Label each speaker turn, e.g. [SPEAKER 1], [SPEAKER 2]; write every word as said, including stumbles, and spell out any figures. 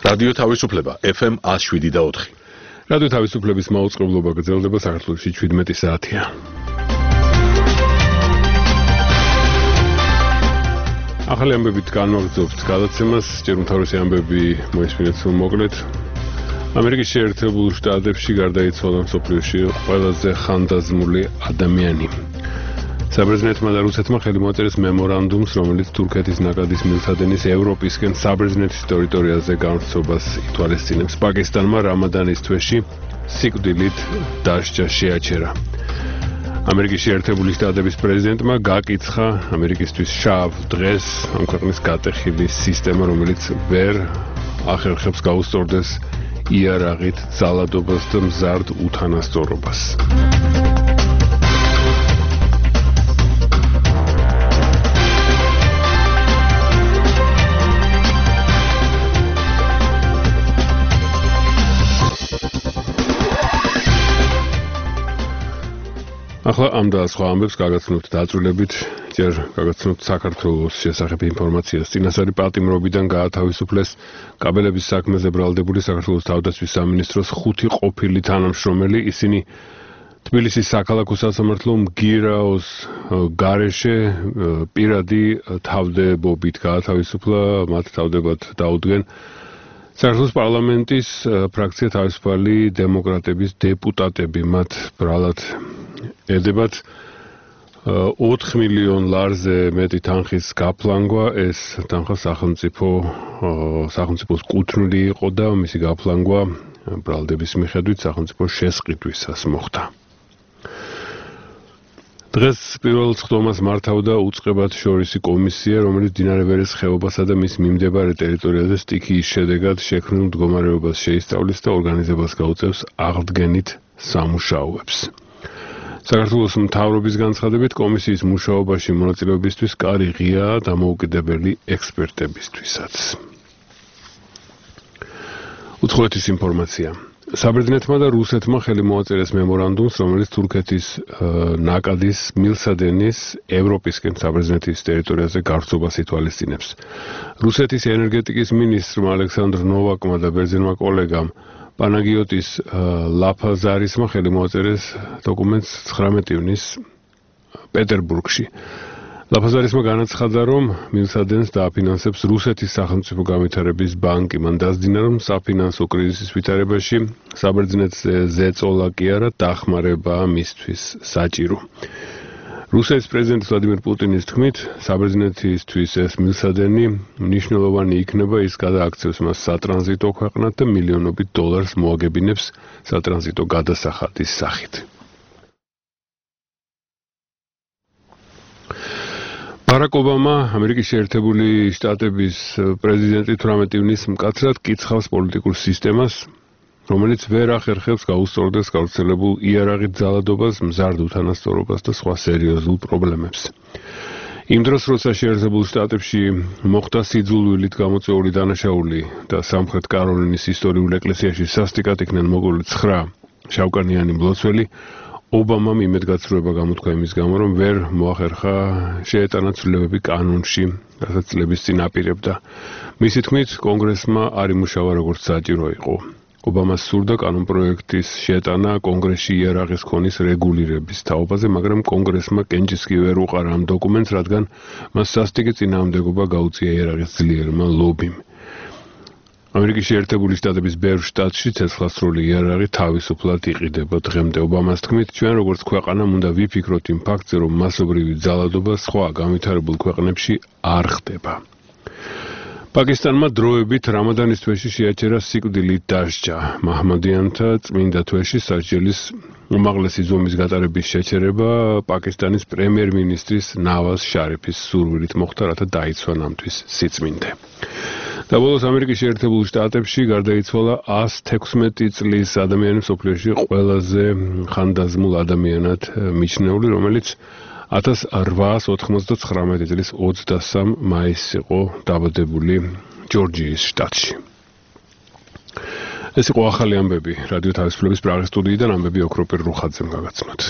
[SPEAKER 1] რადიო თავისუფლება F M one oh seven და four.
[SPEAKER 2] რადიო თავისუფლების მაუწყებლობა გრძელდება საქართველოში seventeen საათია. ახალი ამბებით განვაგრძობთ გადაცემას, ჯერ უმთავრესი ამბები მოისმინეთ სულ მოკლედ. ამერიკის შეერთებულ შტატებში გარდაიცვალა მსოფლიოში ყველაზე ხანდაზმული ადამიანი. საბერძნეთმა და რუსეთმა ხელი მოაწერეს მემორანდუმს, რომელიც თურქეთის ნაკადის მილსადენის ევროპისკენ საბერძნეთის ტერიტორიაზე გამოსცობას ითვალისწინებს. პაკისტანმა რამადანის თვეში სიკვდილით დასჯა შეაჩერა. ამერიკის შეერთებული შტატების პრეზიდენტმა გაკიცხა ამერიკისთვის შავ დღეს ამ ქვეყნის გატეხილი სისტემა, რომელიც ვერ ახერხებს გაუსწორდეს იარაღით ძალადობას და მზარდ უთანასწორობას. ახლა ამ და სხვა ამბებს გაგაცნობთ დაწვრილებით, ჯერ გაგაცნობთ საქართველოს შესახებ ინფორმაციას. წინასწარი პატიმრობიდან გაათავისუფლეს კაბელების საქმეზე ბრალდებული საქართველოს თავდაცვის სამინისტროს ხუთი ყოფილი თანამშრომელი. ისინი თბილისის საქალაქო სასამართლო მგირაოს გარეშე პირადი თავდებობით გაათავისუფლა, მათ თავდებად დაუდგენ საქართველოს პარლამენტის ფრაქცია თავისუფალი დემოკრატების დეპუტატები. მათ ბრალად ედებათ ოთხ მილიონ ლარზე მეტი თანხის გაფლანგვა. ეს თანხა სახელმწიფო სახელმწიფოს კუთვნილი იყო და მისი გაფლანგვა ბრალდების მიხედვით სახელმწიფო შესყიდვისას მოხდა. დღეს პირველ წვდომას მართავდა უწყებათშორისი კომისია, რომელიც მდინარე ვერეს ხეობასა და მის მიმდებარე ტერიტორიაზე სტიქიის შედეგად შექმნილ მდგომარეობას შეისწავლის და ორგანიზებას გაუწევს აღდგენით სამუშაოებს. საქართველოს მთავრობის განცხადებით კომისიის მუშაობაში მონაწილეობისთვის კარი ღიაა დამოუკიდებელი ექსპერტებისთვისაც. უცხოეთის ინფორმაცია. საბერძნეთმა და რუსეთმა ხელი მოაწერეს მემორანდუმს, რომელიც თურქეთის ნაკადის მილსადენის ევროპისკენ საბერძნეთის ტერიტორიაზე გავრცობას ითვალისწინებს. რუსეთის ენერგეტიკის მინისტრმა ალექსანდრ ნოვაკმა და ბერძენმა კოლეგამ პანაგიოტის ლაფაზარისმა ხელი მოაწერეს დოკუმენტს ცხრამეტი ივნის პეტერბურგში. ლაფაზარისმა განაცხადა, რომ მილსადენს დააფინანსებს რუსეთის სახელმწიფო განვითარების ბანკი. მან დასძინა, რომ საფინანსო კრიზისის ვითარებაში საბერძნეთზე ზეწოლა კი არა, დახმარებაა მისთვის საჭირო. რუსეთის პრეზიდენტ ვლადიმერ პუტინის თქმით, საბერძნეთისთვის ეს მილსადენი მნიშვნელოვანი იქნება, ის გადააქცევს მას სატრანზიტო ქვეყნად და მილიონობით დოლარს მოაგებინებს სატრანზიტო გადასახადის სახით. ბარაკ ობამა, ამერიკის შეერთებული შტატების პრეზიდენტი თვრამეტი ივნის მკაცრად კიცხავს პოლიტიკურ სისტემას, რომელიც ვერ ახერხებს გაუსწორდეს გავრცელებულ იარაღით ძალადობას, მზარდ უთანასწორობას და სხვა სერიოზულ პრობლემებს. იმ დროს, როცა შეერთებულ შტატებში მოხდა სიძულვილით გამოწვეული დანაშაული და სამხრეთ კაროლინის ისტორიულ ეკლესიაში სასტიკად იქნენ მოგული ცხრა შავკანიანი მლოცველი, ობამამ იმედგაცრუება გამოთქვა იმის გამო, რომ ვერ მოახერხა შეეტანა ცვლილებები კანონში, რასაც წლების წინ აპირებდა. მისი თქმით, კონგრესმა არ იმუშავა როგორც საჭირო იყო. ობამას სურდა კანონპროექტის შეტანა კონგრესში იარაღის ქონის რეგულირების თაობაზე, მაგრამ კონგრესმა კენჭისკი ვერ უყარა ამ დოკუმენტს, რადგან მას სასტიკი წინააღმდეგობა გაუწია იარაღის ძლიერმა ლობიმ. ამერიკის შეერთებული შტატების ბევრ შტატში ცეცხლსრული იარაღი თავისუფლად იყიდება დღემდე. ობამას თქმით, ჩვენ როგორც ქვეყანამ უნდა ვიფიქროთ იმ ფაქტზე, რომ მასობრივი ძალადობა სხვა განვითარებულ ქვეყნებში არ ხდება. პაკისტანმა დროებით რამადანის თვეში შეაჩერა სიკვდილით დასჯა. მაჰმადიანთა წმინდა თვეში სასჯელის უმაღლესი ზომის გატარების შეჩერება პაკისტანის პრემიერ-მინისტრის ნავაზ შარიფის სურვილით მოხდა, რათა დაიცვა ნამთვის სიწმინდე. და ბოლოს ამერიკის შეერთებულ შტატებში გარდაიცვალა one hundred sixteen წლის ადამიანი მსოფლიოში ყველაზე ხანდაზმულ ადამიანად მიჩნეული, რომელიც one thousand eight hundred ninety-nine წლის ოცდასამ მაისს იყო დაბადებული ჯორჯიის შტატში. ეს იყო ახალი ამბები რადიო თავისუფლების პრაღის სტუდიიდან, ამბები ოქროპირ რუხაძემ გაგაცნოთ.